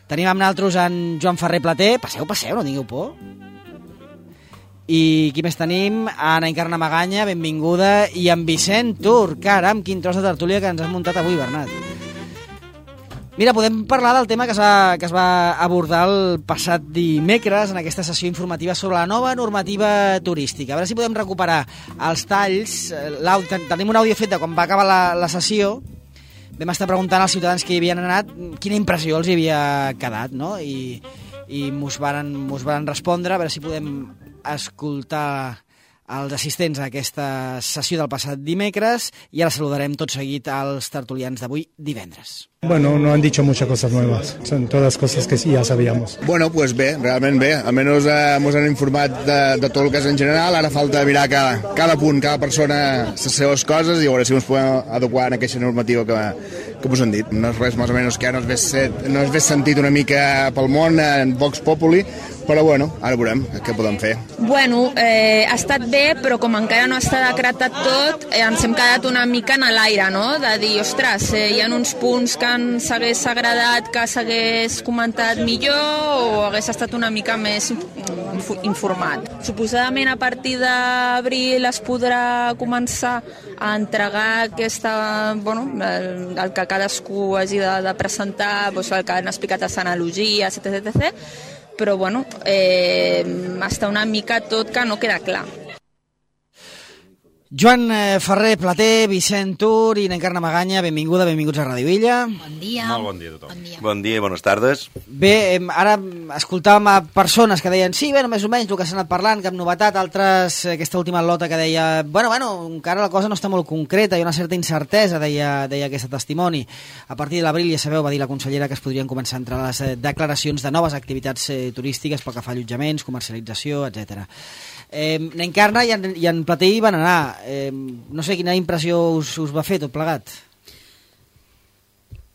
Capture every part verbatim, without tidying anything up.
Tenim amb nosaltres en Joan Ferrer Plater. Passeu, passeu, no tingueu por. I qui més tenim? Ana Encarna Maganya, benvinguda. I en Vicent Tur, caram, quin tros de tertúlia que ens has muntat avui, Bernat. Mira, podem parlar del tema que es va, que es va abordar el passat dimecres en aquesta sessió informativa sobre la nova normativa turística. A veure si podem recuperar els talls. Tenim un àudio fet de quan va acabar la, la sessió. Vam estar preguntant als ciutadans que hi havien anat quina impressió els hi havia quedat, no? I, i mos varen, mos varen respondre. A veure si podem escoltar els assistents a aquesta sessió del passat dimecres i ara saludarem tot seguit als tertulians d'avui divendres. Bueno, no han dicho muchas cosas nuevas, son todas cosas que sí ya sabíamos. Bueno, pues bé, realment bé, almenys eh, ens han informat de, de tot el cas en general, ara falta mirar cada, cada punt, cada persona les seves coses i a veure si ens podem adequar en aquesta normativa que, que us han dit. No és res més o menys que no es ve, set, no es ve sentit una mica pel món en Vox Populi, però bueno, ara veurem què podem fer. Bueno, eh, ha estat bé, però com encara no està decretat tot, eh, ens hem quedat una mica en l'aire, no? De dir, ostres, eh, hi ha uns punts que ens hagués agradat que s'hagués comentat millor o hagués estat una mica més informat. Suposadament a partir d'abril es podrà començar a entregar aquesta, bueno, el, el que cadascú hagi de, de presentar, doncs el que han explicat les analogies, etcètera, etcètera. Però bueno, eh, està una mica tot que no queda clar. Joan Ferrer Plater, Vicent Tur i Encarna Maganya, benvinguda, benvinguts a Ràdio Illa. Bon dia. Molt bon dia a tothom. Bon dia, bon dia i bones tardes. Bé, ara escoltàvem a persones que deien sí, bueno, més o menys el que s'ha anat parlant, cap novetat, altres, aquesta última lota que deia bueno, bueno, encara la cosa no està molt concreta, hi ha una certa incertesa, deia, deia aquest testimoni. A partir de l'abril, ja sabeu, va dir la consellera que es podrien començar a entrar les declaracions de noves activitats eh, turístiques pel que fa a allotjaments, comercialització, etcètera. Eh, Encarna i en, i en Plater hi van anar. Eh, no sé quina impressió us, us va fer tot plegat.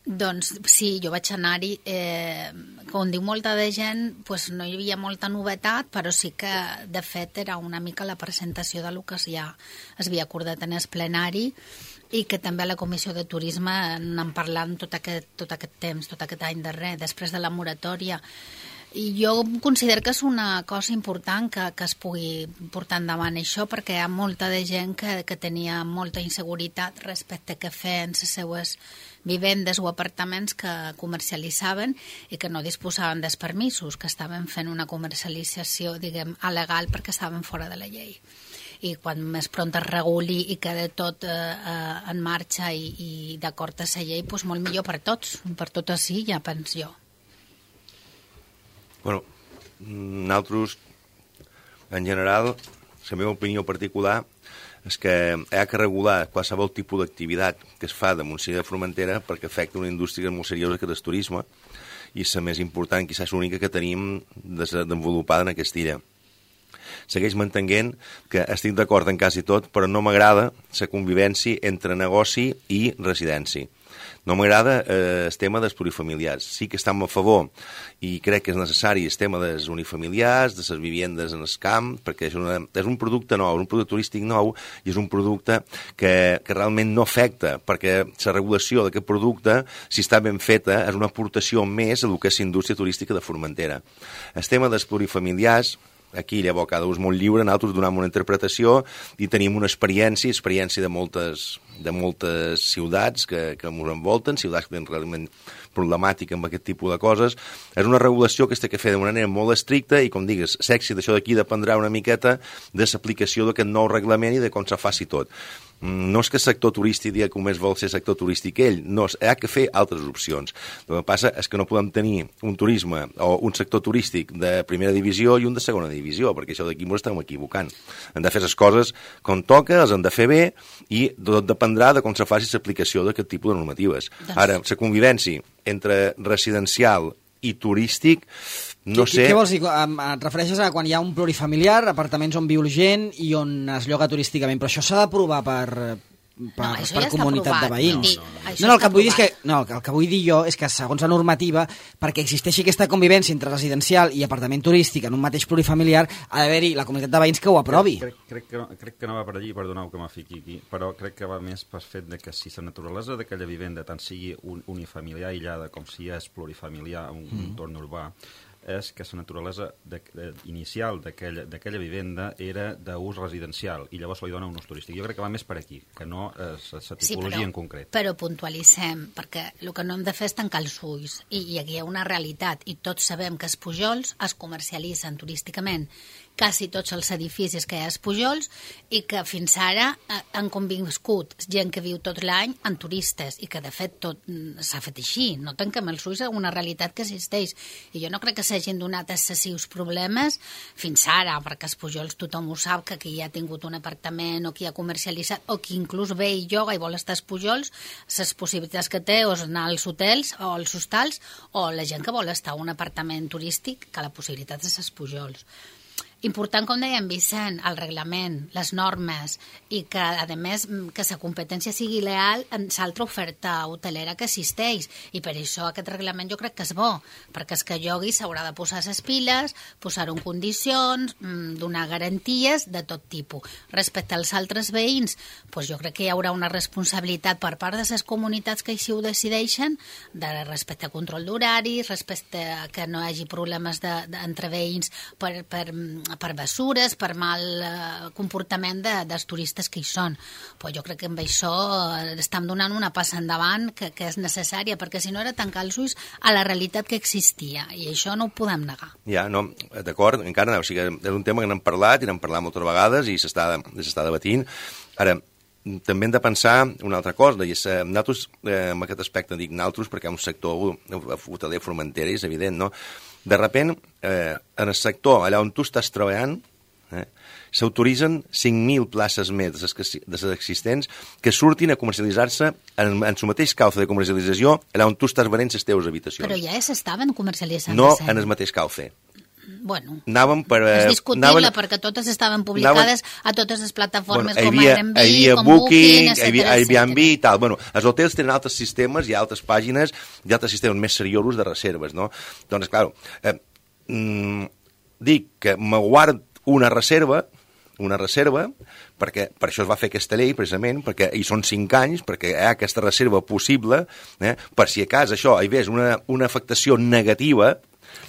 Doncs sí, jo vaig anar-hi. Eh, com diu molta de gent, pues no hi havia molta novetat, però sí que, de fet, era una mica la presentació del que ja es havia acordat en el plenari i que també a la Comissió de Turisme n'han parlat tot aquest, tot aquest temps, tot aquest any darrer, després de la moratòria. I jo considero que és una cosa important que, que es pugui portar endavant això, perquè hi ha molta de gent que, que tenia molta inseguretat respecte a què feien les seues vivendes o apartaments que comercialitzaven i que no disposaven dels permisos, que estaven fent una comercialització, diguem, alegal perquè estaven fora de la llei. I quan més pront es reguli i queda tot eh, eh, en marxa i, i d'acord a la llei, doncs molt millor per tots, per tot així, ja penso jo. Bueno, nosaltres, en general, la meva opinió particular és que hi ha que regular qualsevol tipus d'activitat que es fa de Montseny de Formentera perquè afecta una indústria molt seriosa que és el turisme i la més important, quizás l'única que tenim desenvolupada en aquesta illa. Segueix mantenint que estic d'acord en quasi tot, però no m'agrada la convivència entre negoci i residència. No m'agrada eh, el tema dels plurifamiliars. Sí que estem a favor i crec que és necessari el tema dels unifamiliars, de les vivendes en el camp, perquè és, una, és un producte nou, és un producte turístic nou i és un producte que, que realment no afecta, perquè la regulació d'aquest producte, si està ben feta, és una aportació més a el que és la indústria turística de Formentera. El tema dels plurifamiliars, aquí llavors cada ús molt lliure, nosaltres donem una interpretació i tenim una experiència, experiència de moltes, de moltes ciutats que, que ens envolten, ciutats que tenen realment problemàtica amb aquest tipus de coses. És una regulació que es té que fer de manera molt estricta i, com digues, l'èxit d'això d'aquí dependrà una miqueta de l'aplicació d'aquest nou reglament i de com se faci tot. No és que el sector turístic digui que només vol ser sector turístic ell, no, hi ha que fer altres opcions. El que passa és que no podem tenir un turisme o un sector turístic de primera divisió i un de segona divisió, perquè això d'aquí ens estem equivocant. Hem de fer les coses com toca, els hem de fer bé i tot dependrà de com se faci l'aplicació d'aquest tipus de normatives. Ara, la convivència entre residencial i turístic, no sé... Què vols dir? Et refereixes a quan hi ha un plurifamiliar, apartaments on viu gent i on es lloga turísticament, però això s'ha d'aprovar per, per, No, això per ja està comunitat de aprovat. veïns. No, no, no. No, Això no, el està que vull dir és que, aprovat. no, el que- el que vull dir jo és que segons la normativa, perquè existeixi aquesta convivència entre residencial i apartament turístic en un mateix plurifamiliar, ha d'haver-hi la comunitat de veïns que ho aprovi. Crec, crec, que no, crec que no va per allí, perdoneu que me fiqui aquí, però crec que va més pel fet de que si la naturalesa d'aquella vivenda tant sigui un, unifamiliar aïllada com si és plurifamiliar en un mm. entorn urbà, és que la naturalesa de, de, inicial d'aquella vivenda era d'ús residencial i llavors li dona un ús turístic. Jo crec que va més per aquí, que no la tipologia sí, però, en concret. Però puntualitzem, perquè el que no hem de fer és tancar els ulls, i, i aquí hi ha una realitat, i tots sabem que els Pujols es comercialitzen turísticament quasi tots els edificis que hi ha als Pujols i que fins ara han conviscut gent que viu tot l'any en turistes i que de fet tot s'ha fet així, no tanquem els ulls a una realitat que existeix i jo no crec que s'hagin donat excessius problemes fins ara, perquè als Pujols tothom ho sap que qui ha tingut un apartament o qui ha comercialitzat o qui inclús ve i lloga i vol estar als Pujols, les possibilitats que té és anar als hotels o als hostals o la gent que vol estar a un apartament turístic que la possibilitat és als Pujols. Important, com deia en Vicent, el reglament, les normes i que, a més, que la competència sigui leal en l'altra oferta hotelera que existeix. I per això aquest reglament jo crec que és bo, perquè és que llogui s'haurà de posar les piles, posar-ho en condicions, donar garanties de tot tipus. Respecte als altres veïns, doncs jo crec que hi haurà una responsabilitat per part de les comunitats que així ho decideixen, de respecte a control d'horaris, respecte a que no hi hagi problemes de, de, entre veïns per... per per bessures, per mal eh, comportament de, dels turistes que hi són. Però jo crec que amb això eh, estem donant una passa endavant que, que és necessària, perquè si no era tancar els ulls a la realitat que existia, i això no ho podem negar. Ja, no, d'acord, encara no, o sigui, és un tema que n'hem parlat i n'hem parlat moltes vegades i s'està debatint. Ara, també hem de pensar una altra cosa, i és, nosaltres, eh, en aquest aspecte dic nosaltres perquè hi ha un sector hoteler Formentera, és evident, no? De repent, eh, en el sector, allà on tu estàs treballant, eh, s'autoritzen cinc mil places més de les existents que surtin a comercialitzar-se en, en el mateix cauce de comercialització allà on tu estàs venent les teves habitacions. Però ja s'estaven comercialitzant. No en el mateix cauce. Bueno, anàvem per, és discutible anaven, perquè totes estaven publicades anaven, a totes les plataformes bueno, com havia, Airbnb, havia com Booking, Booking, etcètera, havia Airbnb i tal. Bueno, els hotels tenen altres sistemes, hi ha altres pàgines, hi ha altres sistemes més seriosos de reserves, no? Doncs, clar, eh, mm, dic que me guard una reserva, una reserva, perquè per això es va fer aquesta llei, precisament, perquè hi són cinc anys, perquè hi ha aquesta reserva possible, eh, per si a cas això hi hagués una, una afectació negativa,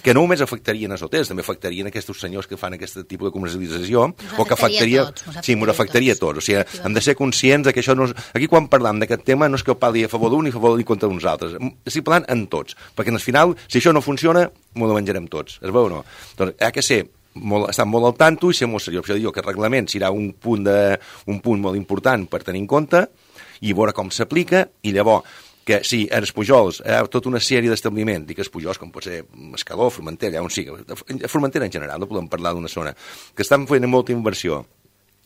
que no només afectarien els hotels, també afectarien aquests senyors que fan aquest tipus de comercialització, o que afectaria... Tots, sí, m'ho afectaria a tots. O sigui, hem de ser conscients que això no és... Aquí, quan parlam d'aquest tema, no és que el parli a favor d'un ni a favor d'un contra uns altres. Estic parlant en tots, perquè al final, si això no funciona, m'ho menjarem tots. Es veu o no? Doncs hi ha que ser molt, estar molt al tanto i ser molt seriós. Per això dic que el reglament serà un punt, de, un punt molt important per tenir en compte i veure com s'aplica, i llavors que sí, en els Pujols hi ha tota una sèrie d'establiments, dic els Pujols, com pot ser Escaló, Formentera, on sigui, Formentera en general, no podem parlar d'una zona, que estan fent molta inversió,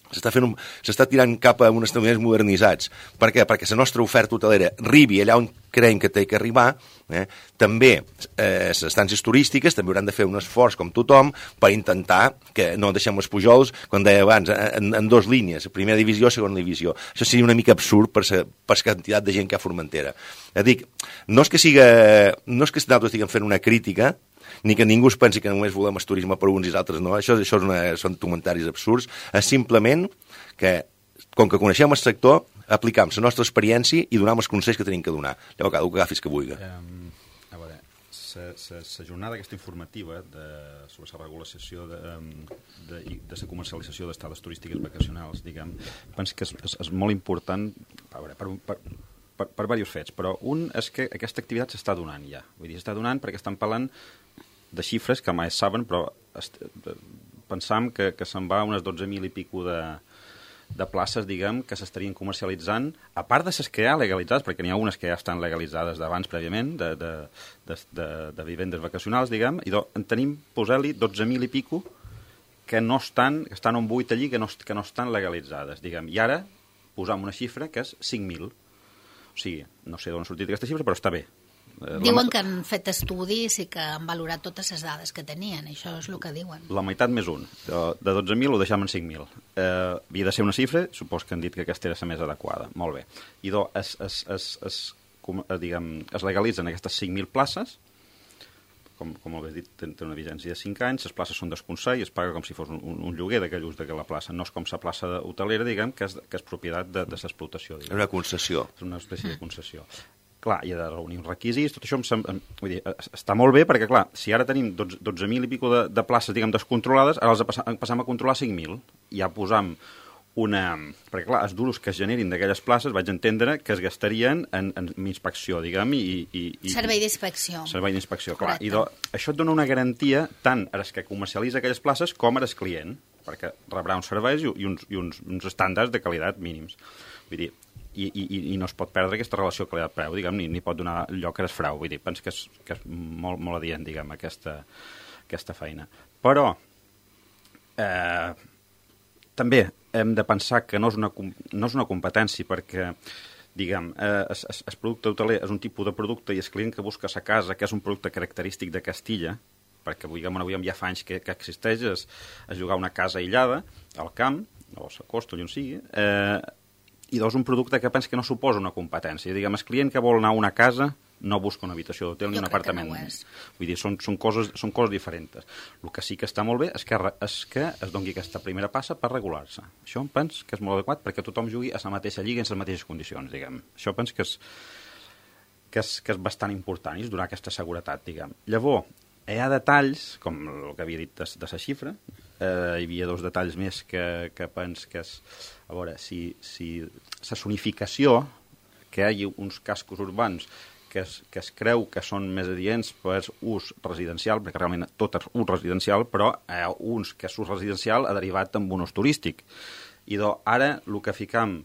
s'està fent un, s'està tirant cap a uns establiments modernitzats. Per què? Perquè la nostra oferta hotelera arribi allà on creiem que té que arribar. Eh? També eh, les estàncies turístiques també hauran de fer un esforç, com tothom, per intentar que no deixem els Pujols, com deia abans, en, en dos línies, primera divisió, segona divisió. Això seria una mica absurd per la per quantitat de gent que hi ha a Formentera. Ja dic, no és que siga, no és que nosaltres estiguem fent una crítica, ni que ningú es pensi que només volem el turisme per uns i els altres, no. Això, això és una, són comentaris absurds. És simplement que, com que coneixem el sector, aplicam la nostra experiència i donem els consells que tenim que donar. Llavors, cada un que agafis que vulgui. Um, a veure, la jornada aquesta informativa de, sobre la regulació de, de, de la comercialització d'estades turístiques vacacionals, diguem, penso que és, és, és molt important, a veure, per, per, per, per diversos fets, però un és que aquesta activitat s'està donant ja. Vull dir, s'està donant perquè estan parlant de xifres que mai saben, però pensam que, que se'n va unes dotze mil i pico de, de places, diguem, que s'estarien comercialitzant, a part de les que hi ha legalitzades, perquè n'hi ha unes que ja estan legalitzades d'abans prèviament, de, de, de, de, de vivendes vacacionals, diguem, i do, en tenim, posar-li dotze mil i pico que no estan, que estan on buit allí, que no, que no estan legalitzades, diguem. I ara posam una xifra que és cinc mil. O sigui, no sé d'on ha sortit aquesta xifra, però està bé. Diuen que han fet estudis i que han valorat totes les dades que tenien, això és el que diuen. La meitat més un. De, de dotze mil ho deixem en cinc mil. Eh, havia de ser una xifra, supos que han dit que aquesta era la més adequada. Molt bé. I do, es, es, es, es, com, diguem, es legalitzen aquestes cinc mil places, com, com ho he dit, té una vigència de cinc anys, les places són dos coma sis i es paga com si fos un, un lloguer d'aquell ús d'aquella plaça. No és com la plaça hotelera, diguem, que és, que és propietat de, de l'explotació. És una concessió. És una espècie de concessió. Clar, hi ha de reunir uns requisits, tot això em sem... vull dir, està molt bé perquè, clar, si ara tenim dotze mil i pico de, de places, diguem, descontrolades, ara els passam a controlar cinc mil. Ja posam una... Perquè, clar, els duros que es generin d'aquelles places vaig entendre que es gastarien en, en inspecció, diguem, i... i, i servei d'inspecció. Servei d'inspecció, clar. I do, això et dona una garantia tant a les que comercialitza aquelles places com a les client, perquè rebrà uns serveis i, i, uns, i uns, uns estàndards de qualitat mínims. Vull dir, i, i, i no es pot perdre aquesta relació qualitat-preu, diguem, ni, ni pot donar lloc a l'esfrau. Vull dir, penso que és, que és molt, molt adient, diguem, aquesta, aquesta feina. Però... Eh, també hem de pensar que no és una, no és una competència perquè, diguem, eh, es, es, es producte hoteler és un tipus de producte i el client que busca a casa, que és un producte característic de Castilla, perquè, diguem, avui ja fa anys que, que existeix, és, és jugar una casa aïllada al camp, o a la costa, on sigui, eh, i dos, un producte que pensa que no suposa una competència. Diguem, el client que vol anar a una casa no busca una habitació d'hotel ni un apartament. No Vull dir, són, són, coses, són coses diferents. El que sí que està molt bé és que, és que es doni aquesta primera passa per regular-se. Això em penso que és molt adequat perquè tothom jugui a la mateixa lliga en les mateixes condicions, diguem. Això penso que és, que és, que és bastant important i és donar aquesta seguretat, diguem. Llavors, hi ha detalls, com el que havia dit de, de la xifra, eh, hi havia dos detalls més que, que penso que és... A veure, si, si la zonificació, que hi hagi uns cascos urbans que es, que es creu que són més adients per ús residencial, perquè realment tot és ús residencial, però hi ha uns que és ús residencial ha derivat en un ús turístic. I do, ara el que ficam,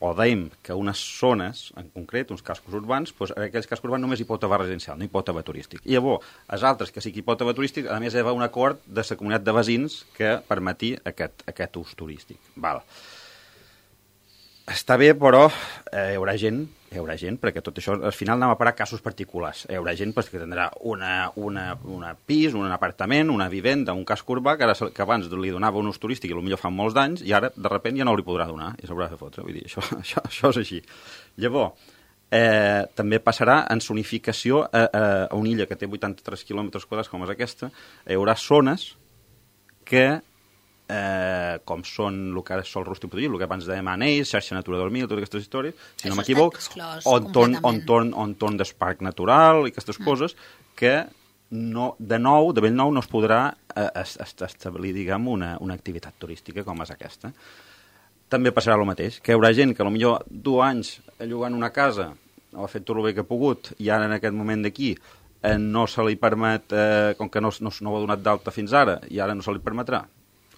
o dèiem que unes zones, en concret, uns cascos urbans, doncs aquells cascos urbans només hi pot haver residencial, no hi pot haver turístic. I llavors, els altres que sí que hi pot haver turístic, a més hi ha un acord de la comunitat de veïns que permeti aquest, aquest ús turístic. Val. Està bé, però eh, hi haurà gent, hi haurà gent, perquè tot això, al final anem a parar casos particulars. Hi haurà gent pues, que tindrà una, una, una pis, un apartament, una vivenda, un casc urbà, que, ara, que abans li donava un ús turístic i potser fa molts d'anys, i ara, de sobte, ja no li podrà donar, i s'haurà de fotre. Vull dir, això, això, això és així. Llavors, eh, també passarà en zonificació a, a, a una illa que té vuitanta-tres quilòmetres quadrats, com és aquesta, hi haurà zones que... Eh, com són el que ara sol rústic protegit, el que abans dèiem anells, xarxa Natura dos mil, totes aquestes històries, si no m'equivoc, on torn, on, torn, on torn del parc natural i aquestes mm. coses que no, de nou, de ben nou, no es podrà eh, establir, diguem, una, una activitat turística com és aquesta. També passarà el mateix, que hi haurà gent que potser dos anys llogant una casa ha fet tot el bé que ha pogut i ara en aquest moment d'aquí eh, no se li permet, eh, com que no, no, no ho ha donat d'alta fins ara i ara no se li permetrà,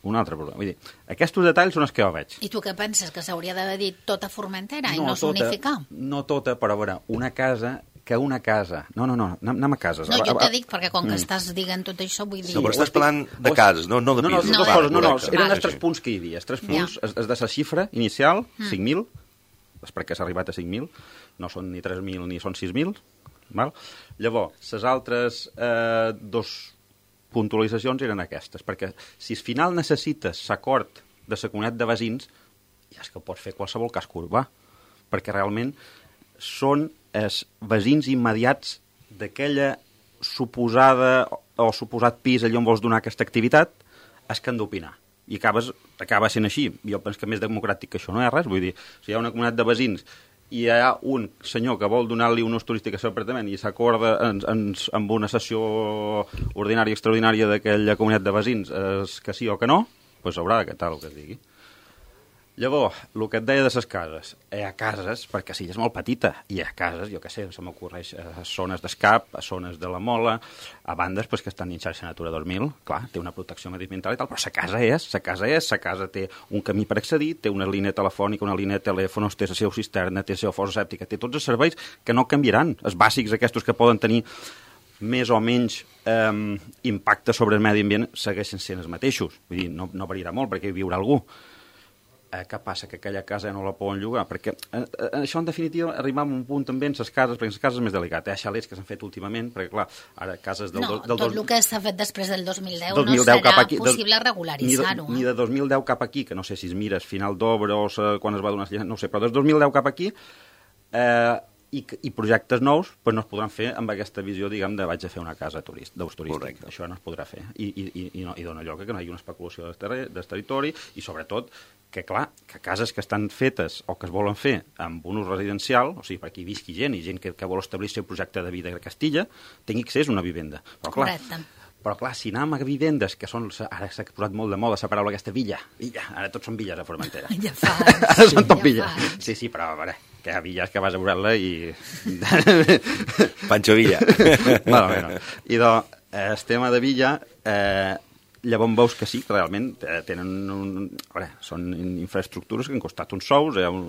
un altre problema. Vull dir, aquests detalls són els que jo veig. I tu què penses? Que s'hauria d'haver dit tota Formentera i no, no zonificar? No tota, però a veure, una casa... que una casa... No, no, no, anem, anem a cases. No, jo t'he dit, perquè com que mm. estàs dient tot això, vull dir... No, però estàs parlant de cases, no, no de pisos. No, no, no, no, no, no eren els tres punts que hi havia. Els tres punts, ja. és, és de la xifra inicial, mm. cinc mil, és perquè s'ha arribat a cinc mil, no són ni tres mil ni són sis mil, val? Llavors, les altres eh, dos puntualitzacions eren aquestes, perquè si al final necessites l'acord de la comunitat de veïns, ja és que pots fer qualsevol casc urbà, perquè realment són els veïns immediats d'aquella suposada o suposat pis allà on vols donar aquesta activitat, és que han d'opinar. I acabes, acaba sent així. Jo penso que més democràtic que això no hi ha res. Vull dir, si hi ha una comunitat de veïns i hi ha un senyor que vol donar-li un ús turístic al seu apartament i s'acorda en, en, amb una sessió ordinària i extraordinària d'aquella comunitat de veïns és que sí o que no, doncs haurà d'acatar el que es digui. Llavors, el que et deia de les cases, hi ha cases, perquè sí, és molt petita, hi ha cases, jo què sé, se m'ocorreix a zones d'escap, a zones de la Mola, a bandes pues, que estan en xarxa Natura dos mil, clar, té una protecció mediambiental i tal, però la casa és, la casa és, la casa té un camí per accedir, té una línia telefònica, una línia de telèfons, té la seva cisterna, té la seva fossa sèptica, té tots els serveis que no canviaran, els bàsics aquests que poden tenir més o menys eh, impacte sobre el medi ambient segueixen sent els mateixos, vull dir, no, no variarà molt perquè hi viurà algú. Eh, què passa? Que aquella casa ja no la poden llogar? Perquè eh, eh, això, en definitiva, arribava a un punt també en les cases, perquè les cases és més delicat. Hi ha xalets que s'han fet últimament, perquè, clar, ara cases del... No, del, del tot dos... el que s'ha fet després del dos mil deu dos mil no deu serà cap aquí, possible del, regularitzar-ho. Ni, de, ni de dos mil deu cap aquí, que no sé si es mires final d'obra o se, quan es va donar... No ho sé, però des dos mil deu cap aquí... Eh, I, i projectes nous pues no es podran fer amb aquesta visió, diguem, de vaig a fer una casa turist, d'ús turístic. Correcte. Això no es podrà fer. I, i, i, no, i dona lloc a que no hi hagi una especulació del, terri del territori i, sobretot, que, clar, que cases que estan fetes o que es volen fer amb un ús residencial, o sigui, per aquí visqui gent i gent que, que vol establir el seu projecte de vida a Castilla, tingui accés a una vivenda. Però, clar, correcte. Però, clar, si anem a vivendes, que són... Ara s'ha posat molt de moda la paraula aquesta, villa. Villa. Ara tots són villes a Formentera. Ja fa. Ara sí, són tot ja villes. fa. Sí, sí, però, a veure, que hi ha villes que vas a veure-la i... Pancho Villa. Bueno, bueno. I doncs, eh, el tema de Villa, eh, llavors veus que sí, que realment eh, tenen un... A veure, són infraestructures que han costat uns sous, hi ha un,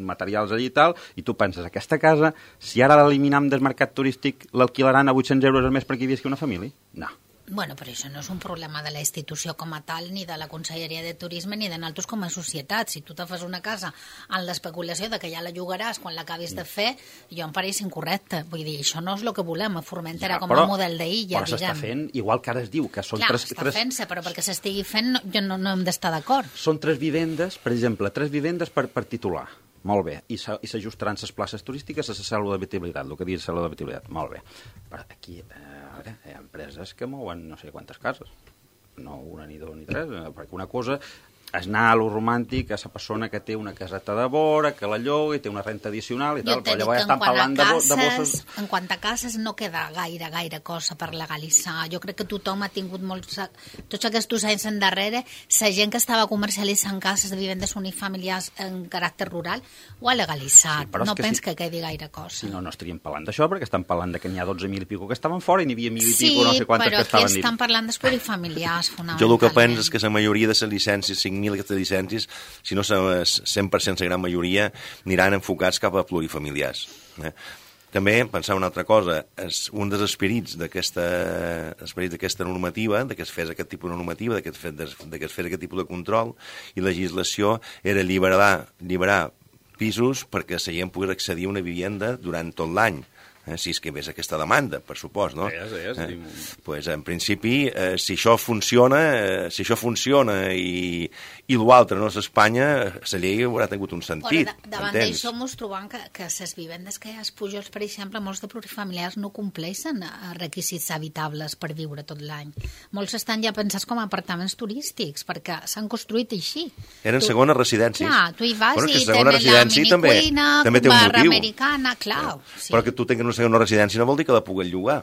materials allí i tal, i tu penses, aquesta casa, si ara l'eliminam del mercat turístic, l'alquilaran a vuit-cents euros al mes perquè hi visqui una família? No. Bueno, però això no és un problema de la institució com a tal, ni de la Conselleria de Turisme, ni de nosaltres com a societat. Si tu te fas una casa en l'especulació de que ja la llogaràs quan l'acabis de fer, jo em pareix incorrecte. Vull dir, això no és el que volem a Formentera ja, com a model d'illa, però s'està fent, igual que ara es diu, que són Clar, tres... està tres... fent-se, però perquè s'estigui fent no, jo no, no hem d'estar d'acord. Són tres vivendes, per exemple, tres vivendes per, per titular. Molt bé. I s'ajustaran les places turístiques a la cèl·lula d'habitabilitat, el que diu cèl·lula d'habitabilitat. Molt bé. Però aquí... Eh, a veure, hi ha empreses que mouen no sé quantes cases. No una, ni dues, ni tres, perquè una cosa és anar a lo romàntic a la persona que té una caseta de vora, que la lloga i té una renta addicional i tal, però llavors estan parlant cases, de, de bosses... En quant a cases no queda gaire, gaire cosa per legalitzar. Jo crec que tothom ha tingut molts... Tots aquests anys endarrere, la gent que estava comercialitzant cases de vivendes unifamiliars en caràcter rural ho ha legalitzat. Sí, no pens si, que quedi gaire cosa. Si no, no estaríem parlant d'això, perquè estan parlant de que n'hi ha dotze mil i pico que estaven fora i n'hi havia mil i sí, pico, no sé quantes que estaven Sí, però aquí estan parlant dels plurifamiliars, fonamentalment. Jo el que penso és que la majoria de les llicències, cinc mil aquestes llicències, si no cent per cent la gran majoria, aniran enfocats cap a plurifamiliars. Eh? També pensar una altra cosa, és un dels esperits d'aquesta esperits d'aquesta normativa, de que es fes aquest tipus de normativa, de que es fes, de que es fes aquest tipus de control i legislació, era alliberar, alliberar pisos perquè la gent pogués accedir a una vivenda durant tot l'any. Eh, si és que ves aquesta demanda, per supost, no? Sí, sí, sí. Eh, pues, en principi, eh, si això funciona, eh, si això funciona i, i l'altre no és Espanya, la llei haurà tingut un sentit. Però davant d'això mos trobam que, que les vivendes que hi ha als Pujols, per exemple, molts de plurifamiliars no compleixen requisits habitables per viure tot l'any. Molts estan ja pensats com a apartaments turístics, perquè s'han construït així. Eren tu, segones residències. Clar, tu hi vas bueno, i tenen la minicuina, també, també barra americana, clar. Sí. Però que tu tinguis una residència no vol dir que la puguin llogar.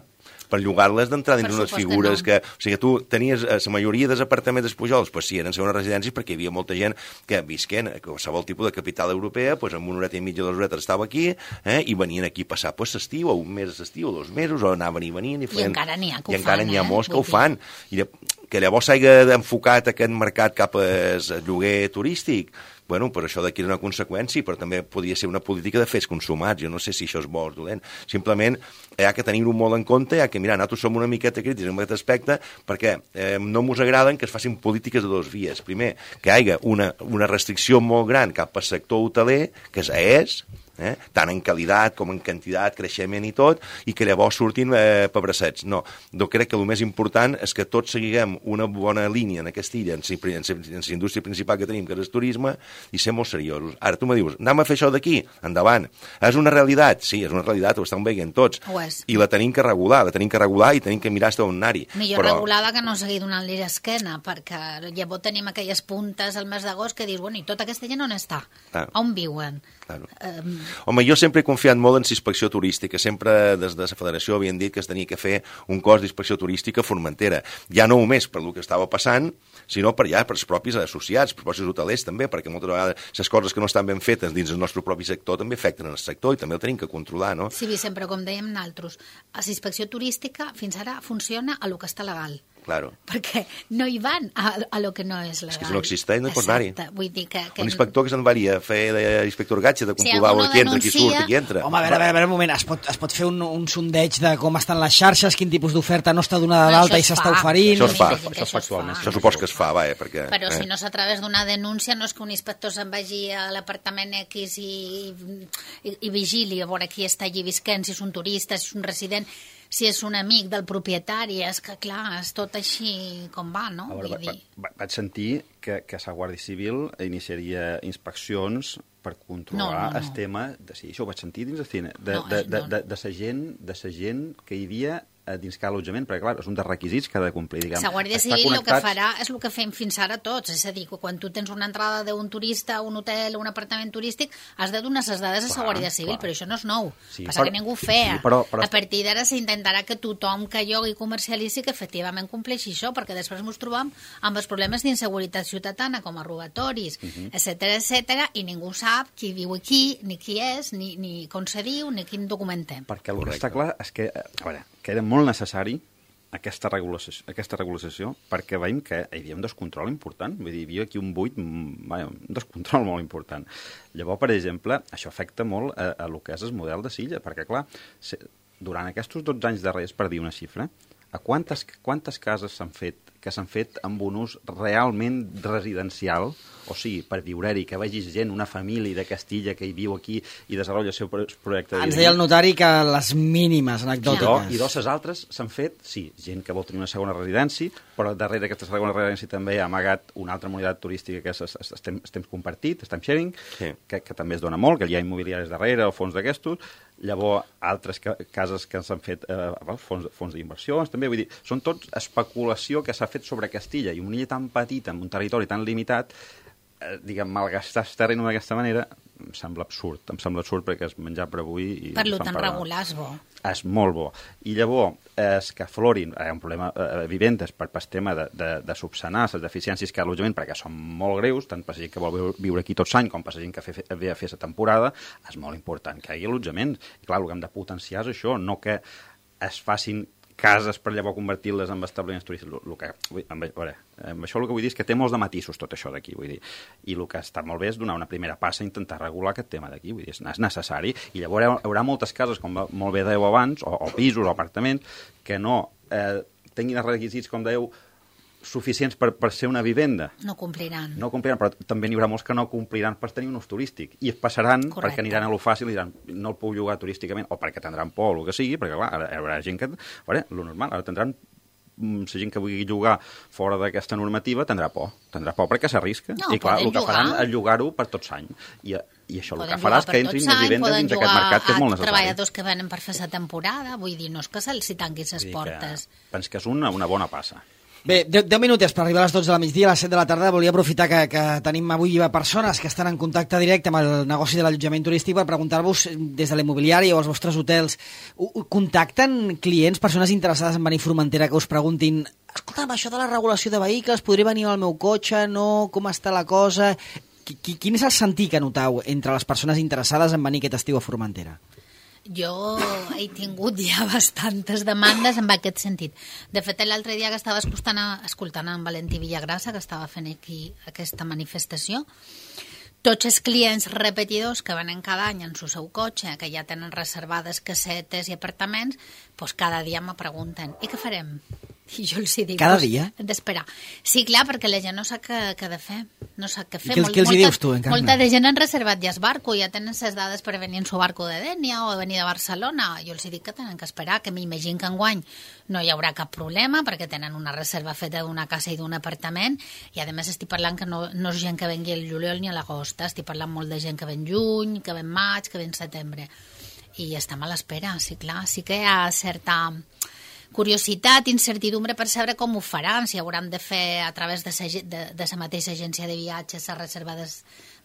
Per llogar-les d'entrar dins unes figures que, no. que... O sigui, tu tenies la majoria dels apartaments dels Pujols, pues sí, eren segones residències perquè hi havia molta gent que visquen a qualsevol tipus de capital europea, pues amb una horeta i mitja, dues horetes estava aquí, eh, i venien aquí a passar pues, l'estiu, o un mes d'estiu, o dos mesos, o anaven i venien. I, feien... I encara n'hi ha que I ho encara fan, n'hi ha molts eh? que ho fan. I que llavors s'hagi enfocat aquest mercat cap al lloguer turístic, bueno, però això d'aquí és una conseqüència, però també podria ser una política de fets consumats. Jo no sé si això és bo o dolent. Simplement hi ha que tenir-ho molt en compte, hi ha que mirar, nosaltres som una miqueta crítics en aquest aspecte, perquè eh, no ens agraden que es facin polítiques de dos vies. Primer, que hi hagi una, una restricció molt gran cap al sector hoteler, que és, eh, tant en qualitat com en quantitat, creixement i tot, i que llavors surtin eh, pebracets. No, jo crec que el més important és que tots seguiguem una bona línia en aquesta illa, en la indústria principal que tenim, que és el turisme, i ser molt seriosos. Ara, tu me dius, anem a fer això d'aquí? Endavant. És una realitat? Sí, és una realitat, ho estan veient tots. I la tenim que regular, la tenim que regular i tenim que mirar fins on anar-hi. Millor però... regulada que no seguir donant-li l'esquena, perquè llavors tenim aquelles puntes al mes d'agost que dius, bueno, i tota aquesta gent on està? Ah. On viuen? Claro. Um... Home, jo sempre he confiat molt en l'inspecció turística. Sempre des de la federació havien dit que es tenia que fer un cos d'inspecció turística a Formentera. Ja no només per el que estava passant, sinó per ja per els propis associats, per els propis hotelers també, perquè moltes vegades les coses que no estan ben fetes dins el nostre propi sector també afecten el sector i també el tenim que controlar, no? Sí, sempre com dèiem nosaltres, la inspecció turística fins ara funciona a lo que està legal. Claro. Perquè no hi van a, a lo que no és legal. És que si no existeix no hi pots anar-hi. Vull dir que... que... Un inspector que se'n varia a fer d'inspector gatge, de comprovar si qui entra, denuncia... qui surt i qui entra. Home, a veure, a veure, a veure un moment, es pot, es pot fer un, un sondeig de com estan les xarxes, quin tipus d'oferta no està donada d'alta i s'està oferint... Això es fa, això, això es fa actualment. Això supos que es fa, vaja, perquè... Però eh? si no és a través d'una denúncia, no és que un inspector se'n vagi a l'apartament X i, i, i vigili a veure qui està allí visquent, si és un turista, si és un resident... si és un amic del propietari, és que, clar, és tot així com va, no? A veure, Vull dir... va, va, vaig sentir que, que la Guàrdia Civil iniciaria inspeccions per controlar no, no, no. el tema... De, sí, això ho vaig sentir dins el cine. De, No, de, és- de, no. de, de, sa gent, de sa gent que hi havia a dins cada allotjament, perquè, clar, és un dels requisits que ha de complir, diguem. La Guàrdia Estar Civil el que connectats- farà és el que fem fins ara tots, és a dir, que quan tu tens una entrada d'un turista a un hotel o un apartament turístic, has de donar les dades a la Clar, Guàrdia Civil, clar. però això no és nou. Sí, Passa però- que ningú ho feia. sí, però- però- A partir d'ara s'intentarà que tothom que llogui i comercialitzi que efectivament compleixi això, perquè després ens trobam amb els problemes d'inseguretat ciutadana, com a robatoris, Mhm. uh -huh. etcètera, etcètera, i ningú sap qui viu aquí, ni qui és, ni, ni com se diu, ni quin documentem. Perquè el que Correcte. està clar és que, a veure, que era molt necessari aquesta regulació, aquesta regulació perquè veiem que hi havia un descontrol important. Vull dir, hi havia aquí un buit, mm, vaja, un descontrol molt important. Llavors, per exemple, això afecta molt a, a lo que és el model de Silla, perquè, clar, se, durant aquests dotze anys darrers, per dir una xifra, a quantes, quantes cases s'han fet que s'han fet amb un ús realment residencial, o sigui, per viure-hi, que vegis gent, una família de Castilla que hi viu aquí i desenvolupa el seu pro- projecte de Ens vida. deia el notari que les mínimes I, do, anecdòtiques. I dos altres s'han fet, sí, gent que vol tenir una segona residència, però darrere d'aquesta segona residència també ha amagat una altra modalitat turística que és es- es- estem, estem compartit, estem sharing, Sí. que, que també es dona molt, que hi ha immobiliaris darrere, o fons d'aquestos, llavors altres ca cases que s'han fet eh, fons, fons d'inversions, també, vull dir, són tots especulació que s'ha fet sobre Castilla, i una illa tan petita, amb un territori tan limitat, eh, diguem, malgastar el terreny d'aquesta manera, em sembla absurd, em sembla absurd perquè és menjar per avui i Per lo fan tant, pagar. regular és bo. És molt bo. I llavors, és que aflorin, hi ha un problema eh, vivendes per el tema de, de, de subsanar les deficiències que hi ha a l'allotjament, perquè són molt greus, tant per la gent que vol viure, viure aquí tots l'any com per la gent que fe, ve a fer la temporada, és molt important que hi hagi allotjament. I clar, el que hem de potenciar és això, no que es facin cases per llavors convertir-les en establiments turístics. Lo, lo que, vull, amb, a veure, amb això el que vull dir és que té molts de matisos tot això d'aquí, vull dir. I el que està molt bé és donar una primera passa a intentar regular aquest tema d'aquí, vull dir, és necessari. I llavors hi haurà, hi haurà moltes cases, com molt bé dèieu abans, o, o pisos o apartaments, que no eh, tinguin els requisits, com dèieu, suficients per, per ser una vivenda. No compliran. No compliran, però també n'hi haurà molts que no compliran per tenir un ús turístic. I es passaran Correcte. perquè aniran a lo fàcil i diran no el puc llogar turísticament, o perquè tindran por o el que sigui, perquè clar, ara hi haurà gent que... A veure, lo normal, ara tindran la gent que vulgui llogar fora d'aquesta normativa tindrà por, tindrà por perquè s'arrisca. No, I clar, poden el que faran jugar. és llogar-ho per tots anys. I, i això el Poden que farà és jugar que per entrin tots les anys, vivendes poden dins d'aquest mercat que és molt jugar a necessari. treballadors que venen per fer la temporada, vull dir, no és que se'ls tanquin les Vull dir portes. Que, penso que és una, una bona passa. Bé, deu, deu minutets per arribar a les dotze de la migdia, a les set de la tarda. Volia aprofitar que, que tenim avui persones que estan en contacte directe amb el negoci de l'allotjament turístic per preguntar-vos des de l'immobiliari o els vostres hotels. U, u, contacten clients, persones interessades en venir a Formentera que us preguntin escolta'm, això de la regulació de vehicles, podré venir al meu cotxe, no, com està la cosa... Qui, quin és el sentir que notau entre les persones interessades en venir aquest estiu a Formentera? Jo he tingut ja bastantes demandes en aquest sentit. De fet, l'altre dia que estava escoltant, escoltant en Valentí Villagrasa, que estava fent aquí aquesta manifestació, tots els clients repetidors que venen cada any en el seu cotxe, que ja tenen reservades casetes i apartaments, doncs cada dia me pregunten, i què farem? I jo els hi dic... Cada pues, dia? hem d'esperar. Sí, clar, perquè la gent no sap què, què ha de fer. No sap què fer. I què els- què els hi dius tu, Encarna? Molta de gent han reservat ja el barco, ja tenen les dades per venir en su barco de Dènia o venir de Barcelona. Jo els hi dic que tenen que esperar, que m'imagino que enguany no hi haurà cap problema perquè tenen una reserva feta d'una casa i d'un apartament i a més estic parlant que no, no és gent que vengui el juliol ni a l'agost, estic parlant molt de gent que ven juny, que ven maig, que ven setembre i estem a l'espera, sí clar, sí que hi ha certa curiositat, incertidumbre per saber com ho faran, si hauran de fer a través de sa, de, de sa mateixa agència de viatges a reserva des,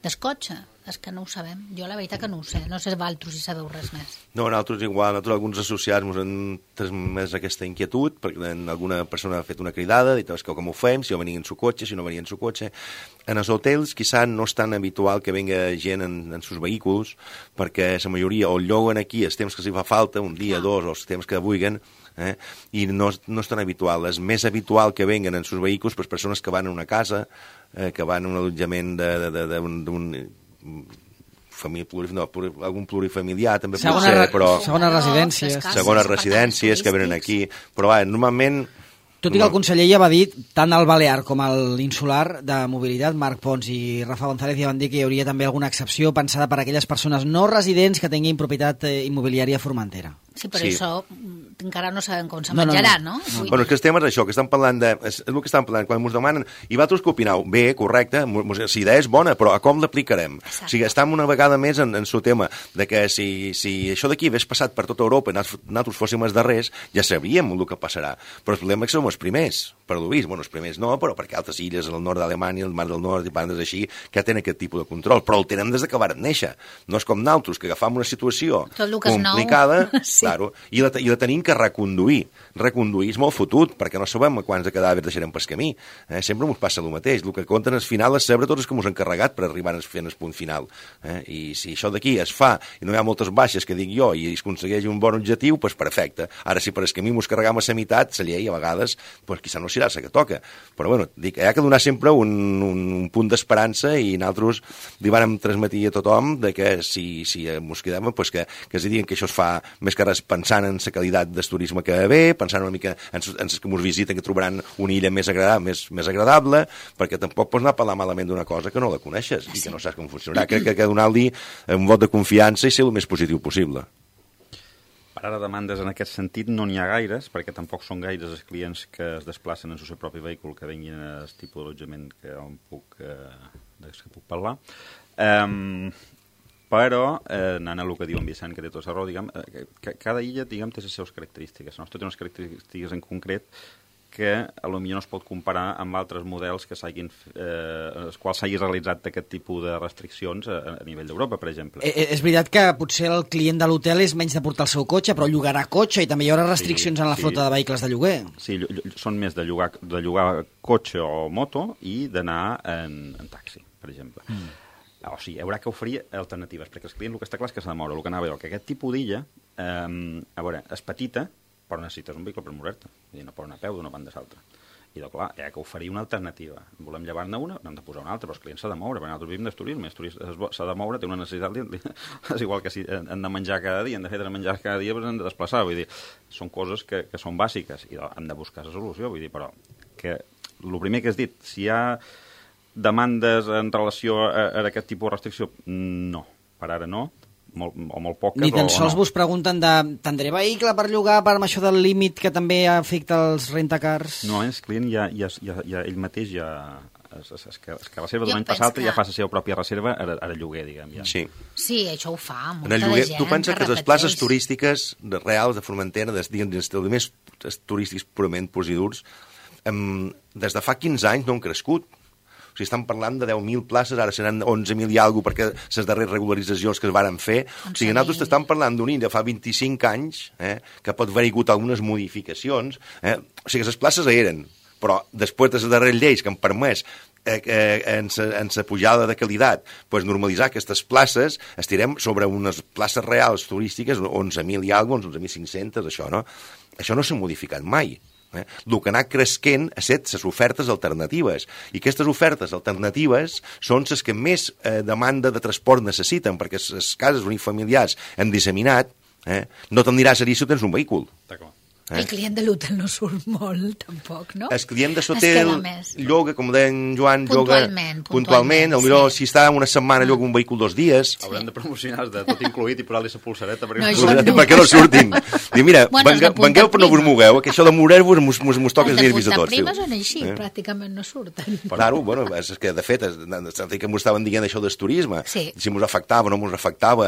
des cotxe. És que no ho sabem. Jo la veritat que no ho sé. No sé vosaltres si sabeu res més. No, nosaltres igual, nosaltres alguns associats ens han transmès aquesta inquietud, perquè alguna persona ha fet una cridada, dit que com ho fem, si no venia en su cotxe, si no venia en su cotxe. En els hotels, quizá no és tan habitual que venga gent en, en sus vehicles, perquè la majoria o el lloguen aquí els temps que s'hi fa falta, un dia, Ah. dos, o els temps que vulguen, eh? I no, no és tan habitual. És més habitual que venguen en sus vehicles per persones que van a una casa, eh, que van a un allotjament d'un família, pluri, no, pluri, algun plurifamiliar també pot ser, però... Segones residències. Segones residències que venen aquí. Però va, normalment... Tot i que el conseller ja va dir, tant el Balear com l'insular de mobilitat, Marc Pons i Rafa González, ja van dir que hi hauria també alguna excepció pensada per a aquelles persones no residents que tinguin propietat immobiliària a Formentera. Sí, però sí. això encara no sabem com se no, menjarà, no? no? no? no. Bueno, és que estem en això, que estan parlant de... És, és el que estan parlant, quan ens demanen... I vosaltres què opineu? Bé, correcte, si idea és bona, però a com l'aplicarem? O sigui, estem una vegada més en, en el tema de que si, si això d'aquí hagués passat per tota Europa i nosaltres fóssim els darrers, ja sabríem el que passarà. Però el problema és que som els primers, per lo vist. Bueno, els primers no, però perquè altres illes, al nord d'Alemanya, el mar del nord i bandes així, que ja tenen aquest tipus de control. Però el tenen des de que varen néixer. No és com nosaltres, que agafam una situació complicada, sí. Claro, i la, i la tenim que reconduir. Reconduir és molt fotut, perquè no sabem quants de cadàvers deixarem pel camí. Eh? Sempre ens passa el mateix. El que compten al final és saber tots els que ens han carregat per arribar a fer el punt final. Eh? I si això d'aquí es fa i no hi ha moltes baixes, que dic jo, i es aconsegueix un bon objectiu, doncs perfecte. Ara, si per el camí ens carregam a la meitat, la llei a vegades, doncs quizà no serà la que toca. Però bueno, dic, hi ha que donar sempre un, un, un punt d'esperança i nosaltres li vàrem transmetir a tothom de que si, si ens quedem, doncs que, que es diguin que això es fa més que res pensant en la qualitat del turisme que ve, pensant una mica en els que ens visiten, que trobaran una illa més agradable, més, més agradable, perquè tampoc pots anar a parlar malament d'una cosa que no la coneixes i que no saps com funcionarà. Crec que ha de donar-li un vot de confiança i ser el més positiu possible. Per ara demandes en aquest sentit no n'hi ha gaires, perquè tampoc són gaires els clients que es desplacen en el seu propi vehicle que vinguin al tipus d'allotjament que on puc, eh, que puc parlar. Um, però, eh, anant a el que diu en Vicent, que té tota la raó, diguem, eh, que cada illa diguem, té les seves característiques. La nostra té unes característiques en concret que a lo millor no es pot comparar amb altres models que s'hagin, eh, els quals s'hagi realitzat aquest tipus de restriccions a, a nivell d'Europa, per exemple. Eh, és veritat que potser el client de l'hotel és menys de portar el seu cotxe, però llogarà cotxe i també hi haurà restriccions sí, en la flota sí. de vehicles de lloguer. Sí, són més de llogar, de llogar cotxe o moto i d'anar en, en taxi, per exemple. Mm. O sigui, haurà que oferir alternatives, perquè el client el que està clar és que s'ha de moure. El que anava a veure, que aquest tipus d'illa, eh, a veure, és petita, però necessites un vehicle per moure-te. Vull dir, no pot anar a peu d'una banda a l'altra. I doncs, clar, hi ha que oferir una alternativa. Volem llevar-ne una, n'hem de posar una altra, però el client s'ha de moure, perquè nosaltres vivim del turisme, s'ha de moure, té una necessitat, és igual que si han de menjar cada dia, han de fer de menjar cada dia, però han de desplaçar, vull dir, són coses que, que són bàsiques, i doncs, hem de buscar la solució, vull dir, però que el primer que has dit, si hi ha demandes en relació a, a aquest tipus de restricció, no, per ara no, molt, o molt poques. Ni tan sols no. Vos pregunten de tindré vehicle per llogar per això del límit que també afecta els rentacars? No, el client ja, ja, ja, ja ell mateix ja es, es, es, que, es que reserva d'un any passat que... ja fa la seva pròpia reserva a, a lloguer, diguem. Ja. Sí. Sí, això ho fa molta en el lloguer, gent. Tu penses que, que les places turístiques de reals de Formentera, dels establiments turístics purament purs i durs, um, des de fa quinze anys no han crescut. O sigui, estan parlant de deu mil places, ara seran onze mil i alguna cosa perquè les darreres regularitzacions que es varen fer. O sigui, nosaltres estem parlant d'un illa fa vint-i-cinc anys, eh, que pot haver hagut algunes modificacions. Eh? O sigui, les places eren, però després de les darreres lleis que han permès eh, eh, en la pujada de qualitat pues, normalitzar aquestes places, estirem sobre unes places reals turístiques, onze mil i alguna cosa, onze mil cinc-cents, això, no? Això no s'ha modificat mai. Eh? El que ha anat creixent ha estat les ofertes alternatives, i aquestes ofertes alternatives són les que més eh, demanda de transport necessiten, perquè les cases unifamiliars han disseminat, eh? No te'n diràs a dir si tens un vehicle. D'acord. Eh? El client de l'hotel no surt molt, tampoc, no? El client de l'hotel lloga, com deia en Joan, puntualment, lloga puntualment, potser sí. Si està una setmana lloga un vehicle dos dies. Sí. Haurem de promocionar de tot incluït i posar-li la pulsareta perquè no, no, perquè no surtin. Diu, mira, bueno, vengueu, vengueu però no vos mogueu, que això de moure-vos mos, mos, mos toca els nervis a tots. Els de punta prima són així, eh? Pràcticament no surten. Claro, bueno, és que de fet, sentit que mos estaven dient això del turisme, sí. Si mos afectava o no mos afectava,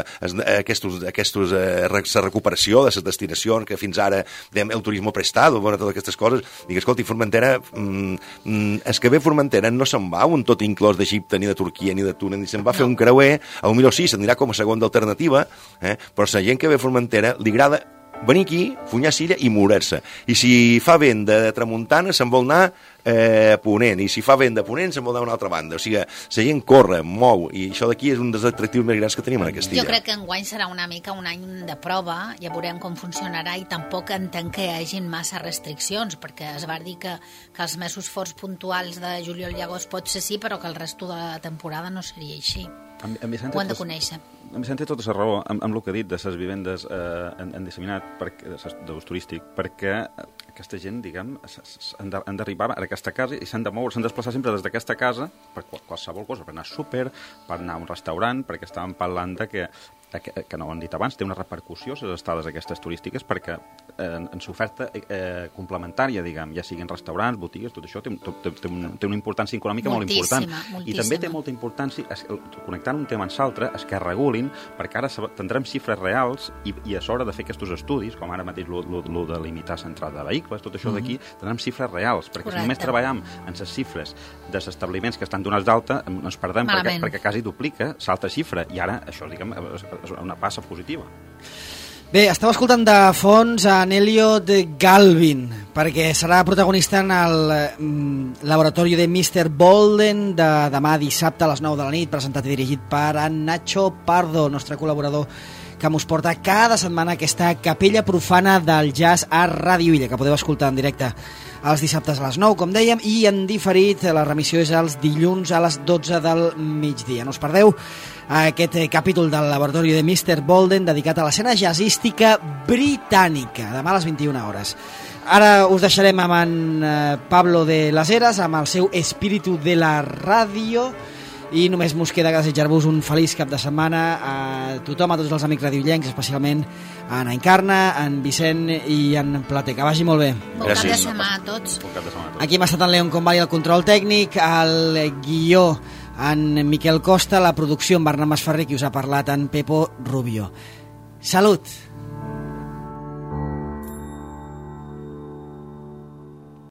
aquestos, aquestos, eh, la recuperació de les destinacions que fins ara dèiem, el turisme prestado, bueno, totes aquestes coses. Dic, escolta, Formentera, mm, és que ve Formentera no se'n va un tot inclòs d'Egipte, ni de Turquia, ni de Túnez, ni se'n va no. fer un creuer, a un millor sí, se'n dirà com a segona alternativa, eh? Però la gent que ve a Formentera li agrada venir aquí, funyar cira i morir-se. I si fa vent de tramuntana, se'n vol anar eh, a ponent, i si fa vent de ponent, se'n vol anar a una altra banda. O sigui, la gent corre, mou, i això d'aquí és un dels atractius més grans que tenim en aquesta illa. Jo crec que enguany serà una mica un any de prova, ja veurem com funcionarà, i tampoc entenc que hi hagin massa restriccions, perquè es va dir que, que els mesos forts puntuals de juliol i agost pot ser sí, però que el resto de la temporada no seria així. En, en Vicente, ho hem de conèixer. En Vicente té tota la raó amb, amb el que ha dit de les vivendes eh, en, en disseminat d'ús turístic, perquè aquesta gent, diguem, han d'arribar a aquesta casa i s'han de moure, s'han de desplaçar sempre des d'aquesta casa per qualsevol cosa, per anar a súper, per anar a un restaurant, perquè estàvem parlant de que que, que no ho han dit abans, té una repercussió les estades aquestes turístiques, perquè eh, en l'oferta eh, complementària, diguem, ja siguin restaurants, botigues, tot això té, té, té, un, té una importància econòmica moltíssima, molt important. Moltíssima. I també té molta importància, es, connectant un tema amb l'altre, es que regulin, perquè ara tindrem xifres reals i, i és hora de fer aquests estudis, com ara mateix el de limitar l'entrada de vehicles, tot això d'aquí, tindrem xifres reals, perquè Correcte. Si només treballem en les xifres dels establiments que estan donats d'alta, ens perdem perquè, perquè quasi duplica l'altra xifra, i ara això, diguem, és una passa positiva. Bé, esteu escoltant de fons a Elliot Galvin, perquè serà protagonista en el mm, laboratori de mister Bolden de demà dissabte a les nou de la nit, presentat i dirigit per en Nacho Pardo, nostre col·laborador que mos porta cada setmana aquesta capella profana del jazz a Ràdio Illa, que podeu escoltar en directe els dissabtes a les nou, com dèiem, i en diferit la remissió és els dilluns a les dotze del migdia. No us perdeu aquest capítol del laboratori de mister Bolden dedicat a l'escena jazzística britànica, demà a les vint-i-una hores. Ara us deixarem amb en Pablo de las Heras, amb el seu Espíritu de la Ràdio, i només mos queda desitjar-vos un feliç cap de setmana a tothom, a tots els amics radiollencs, especialment a en Encarna, en Vicent i en Plater. Que vagi molt bé. Bon cap de setmana a tots. Aquí hem estat en Leon Convali, el control tècnic, el guió en Miquel Costa, la producció en Bernat Masferrer, qui us ha parlat en Pepo Rubio. Salut!